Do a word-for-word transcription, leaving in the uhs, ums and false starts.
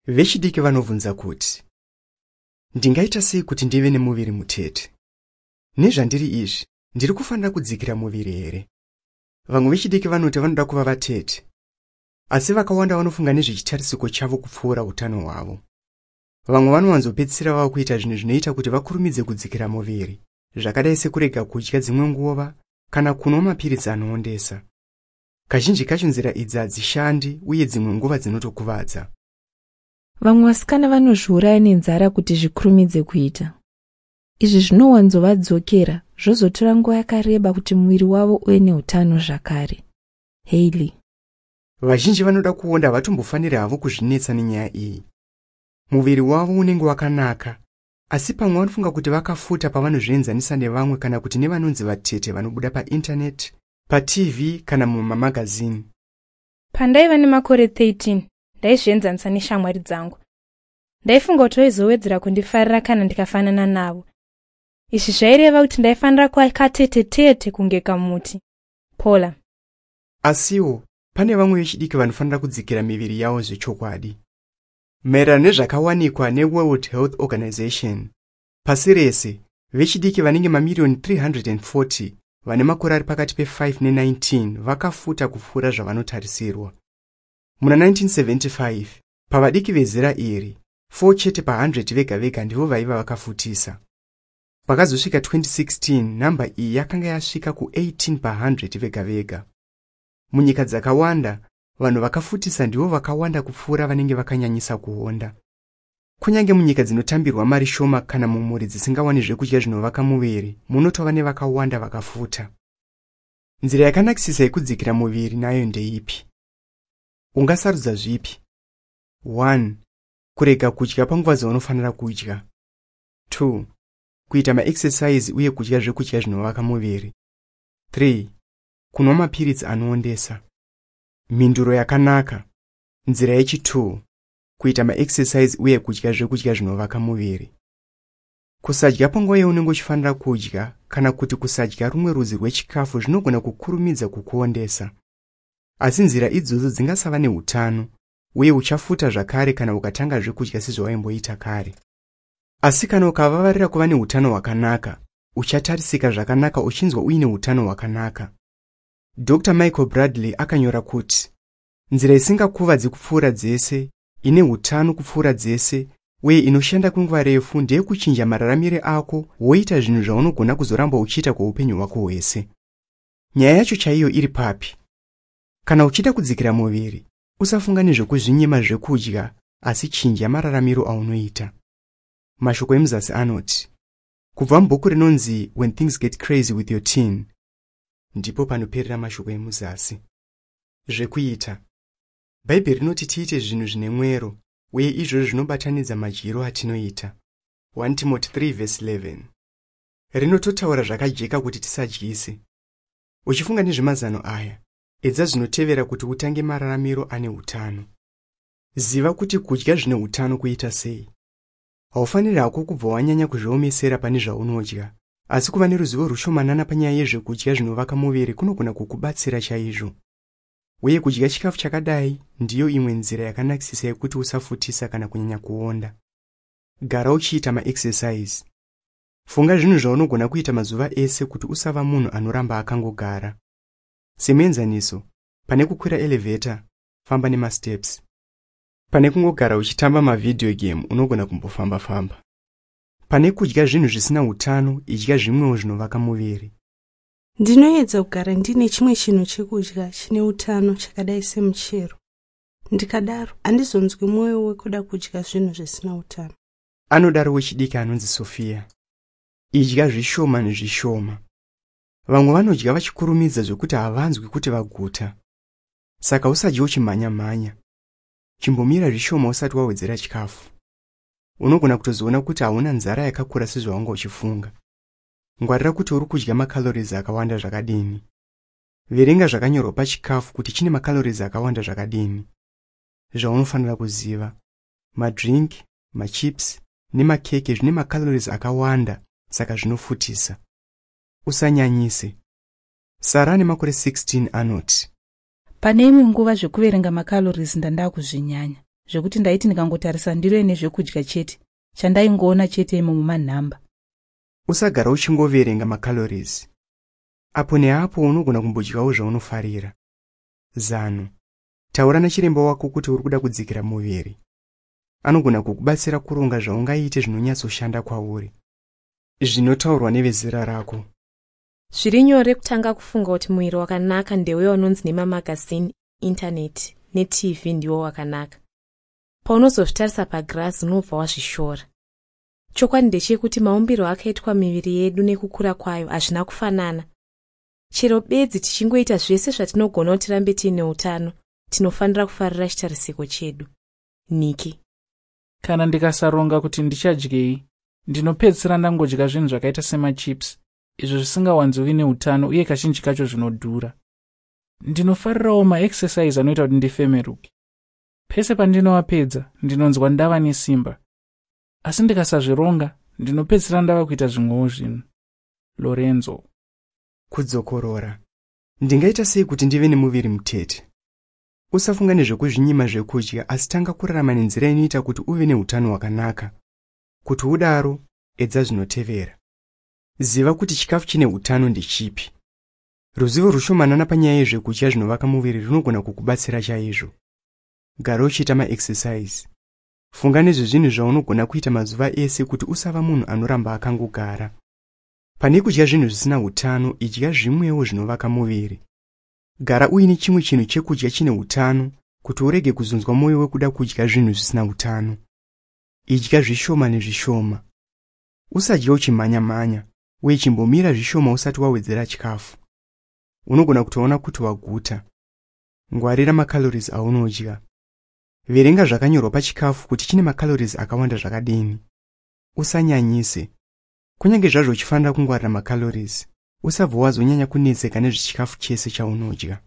Vechidiki vanobvunza kuti, ndingaita sei kuti ndive nemuviri mutete? Nezvandiri izvi, ndiri kufanira kudzikira muviri here? Vamwe vechidiki vanoti vanoda kuva vatete, asi vakawanda vanofunga nezvechitarisiko chavo kupfuura utano hwavo. Vamwe vanowanzopedzisira vava kuita zvinhu zvinoita kuti vakurumidze kudzikira muviri, zvakadai sekurega kudya dzimwe nguva kana kunwa mapiritsi anoondesa. Kazhinji kacho nzira idzi hadzishandi uye dzimwe nguva dzinotokuvadza. Vamwe vasikana vanozviuraya nenzara kuti zvikurumidze kuita. Izvi zvinowanzovadzokera zvozotora nguva yakareba kuti muviri wavo uve neutano zvakare. Hailey. Vazhinji vanoda kuonda havatombofaniri havo kuzvinetsa nenyaya iyi. Muviri wavo unenge wakanaka, asi pamwe vanofunga kuti vakafuta pavanozvienzanisa nevamwe kana kuti nevanonzi vatete vanobuda paindaneti, paT V kana mumamagazini. Pandaiva nemakore thirteen, ndaizvienzanisa neshamwari dzangu. Ndaifunga kuti vaizowedzera kundifarira kana ndikafanana navo. Izvi zvaireva kuti ndaifanira kuva katetetete kunge kamuti. Paula. Asiwo pane vamwe vechidiki vanofanira kudzikira miviri yavo zvechokwadi. Maererano nezvakawanikwa neWorld Health Organization, pasi rese vechidiki vanenge mamiriyoni three hundred and forty vane makore ari pakati pefive nenineteen vakafuta kupfuura zvavanotarisirwa. Muna nineteen seventy-five, pavadiki vezera iri, four chete pahundred vega vega ndivo vaiva vakafutisa. Pakazosvika twenty sixteen, nhamba iyi yakanga yasvika kueighteen pahundred vega vega. Munyika dzakawanda, vanhu vakafutisa ndivo vakawanda kupfuura vanenge vakanyanyisa kuonda. Kunyange munyika dzinotambirwa mari shoma kana mumhuri dzisingawani zvekudya zvinovaka muviri, munotova nevakawanda vakafuta. Nzira yakanakisisa yekudzikira muviri nayo ndeipi? Ungasarudza zvipi? one, kurega kudya panguva dzaunofanira kudya; two, kuita maexercise uye kudya zvekudya zvinovaka muviri; three, kunwa mapiritsi anoondesa. Mhinduro yakanaka, nzira yechitu, kuita maexercise uye kudya zvekudya zvinovaka muviri. Kusadya panguva yaunenge uchifanira kudya kana kuti kusadya rumwe rudzi rwechikafu zvinogona kukurumidza kukuondesa, asi nzira idzodzo dzingasava neutano uye uchafuta zvakare kana ukatanga zvekudya sezvawaimboita kare. Asi kana ukavavarira kuva neutano hwakanaka, uchatarisika zvakanaka uchinzwa uine utano hwakanaka. Doctor Michael Bradley akanyora kuti, nzira isingakuvadzi kupfuura dzese, ine utano kupfuura dzese uye inoshanda kwenguva refu ndeyekuchinja mararamire ako, woita zvinhu zvaunogona kuzoramba uchiita kweupenyu hwako hwese. Nyaya yacho chaiyo iri papi? Kana uchida kudzikira muviri, usafunga nezvekuzvinyima zvekudya, asi chinja mararamiro aunoita. Mashoko emuzasi anoti, kubva mubhuku rinonzi When Things Get Crazy with Your Teen. Ndipo panoperera mashoko emuzasi. Zvekuita: Bhaibheri rinoti tiite zvinhu zvine mwero, uye izvozvo zvinobatanidza madyiro atinoita. one Timothy three vhesi eleven rinototaura zvakajeka kuti tisadyise. Uchifunga nezvemazano aya, edza zvinotevera kuti utange mararamiro ane utano. Ziva kuti kudya zvine utano kuita sei. Haufaniri hako kubva wanyanya kuzviomesera pane zvaunodya, asi kuva neruzivo rushomanana panyaya yezvekudya zvinovaka muviri kunogona kukubatsira chaizvo. Uye kudya chikafu chakadai ndiyo imwe nzira yakanakisisa yekuti usafutisa kana kunyanya kuonda. Gara uchiita maexercise. Funga zvinhu zvaunogona kuita mazuva ese kuti usava munhu anoramba akangogara. Semuenzaniso, pane kukwira elevator, famba nemasteps. Pane kungogara uchitamba mavideo game, unogona kumbofamba-famba. Pane kudya zvinhu zvisina utano, idya zvimwewo zvinovaka muviri. Ndinoedza kugara ndine chimwe chinhu chekudya chine utano chakadai semuchero. Ndikadaro handizonzwi mwoyo wekuda kudya zvinhu zvisina utano. Anodaro wechidiki anonzi Sofia. Idya zvishoma nezvishoma. Vamwe vanodya vachikurumidza zvokuti havanzwi kuti vaguta, saka usadya uchimhanya-mhanya. Chimbomira zvishoma usati wawedzera chikafu. Unogona kutozoona kuti hauna nzara yakakura sezvawanga uchifunga. Ngwarira kuti uri kudya macalories akawanda zvakadini. Verenga zvakanyorwa pachikafu kuti chine macalories akawanda zvakadini. Zvaunofanira kuziva: madrink, machips nemakeke zvine macalories akawanda, saka zvinofutisa. Usanyanyise. Sara ane makore sixteen anoti, Pane imwe nguva zvekuverenga macalories ndanda kuzvinyanya Zvekuti ndaiti ndikangotarisa ndiro ine zvekudya chete, chandaingoona chete imomo manhamba. Usagara uchingoverenga macalories. Apo neapo unogona kumbodyawo zvaunofarira. Zano: taura nachiremba wako kuti uri kuda kudzikira muviri. Anogona kukubatsira kuronga zvaungaite zvinonyatsoshanda kwauri. Zvinotaurwa nevezera rako. Zviri nyore kutanga kufunga kuti muviri wakanaka ndeuya unonzi nemamagazini, intaneti neT V ndiwo wakanaka. Paunozozvitarisa pagirazi, unobva wazvishora. Chokwadi ndechekuti maumbirwo akaitwa miviri yedu nekukura kwayo hazvina kufanana. Chero bedzi tichingoita zvese zvatinogona kuti tirambe tiine utano, tinofanira kufarira chitarisiko chedu. Niki. Kana ndikasaronga kuti ndichadyei, ndinopedzisira ndangodya zvinhu zvakaita semachips, izvo zvisingawanzovi neutano uye kazhinji kacho zvinodhura. Ndinofarirawo maexercise anoita kuti ndifemeruke. Pese pandinovapedza, ndinonzwa ndava nesimba, asi ndikasazvironga, ndinopedzisira ndava kuita zvimwewo zvinhu. Lorenzo. Kudzokorora: ndingaita sei kuti ndive nemuviri mutete? Usafunga nezvekuzvinyima zvekudya, asi tanga kurarama nenzira inoita kuti uve neutano hwakanaka. Kuti udaro, edza zvinotevera. Ziva kuti chikafu chine utano ndechipi. Ruzivo rushomanana panyaya yezvekudya zvinovaka muviri runogona kukubatsira chaizvo. Gara uchiita maexercise. Funga nezvezvinhu zvaunogona kuita mazuva ese kuti usava munhu anoramba akangogara. Pane kudya zvinhu zvisina utano, idya zvimwewo zvinovaka muviri. Gara uine chimwe chinhu chekudya chine utano kuti urege kuzonzwa mwoyo wekuda kudya zvinhu zvisina utano. Idya zvishoma nezvishoma. Usadya uchimhanya-mhanya, uye chimbomira zvishoma usati wawedzera chikafu. Unogona kutoona kuti waguta. Ngwarira macalories aunodya. Verenga zvakanyorwa pachikafu kuti chine macalories akawanda zvakadini. Usanyanyise. Kunyange zvazvo uchifanira kungwarira macalories, usabva wazonyanya kunetseka nezvechikafu chese chaunodya.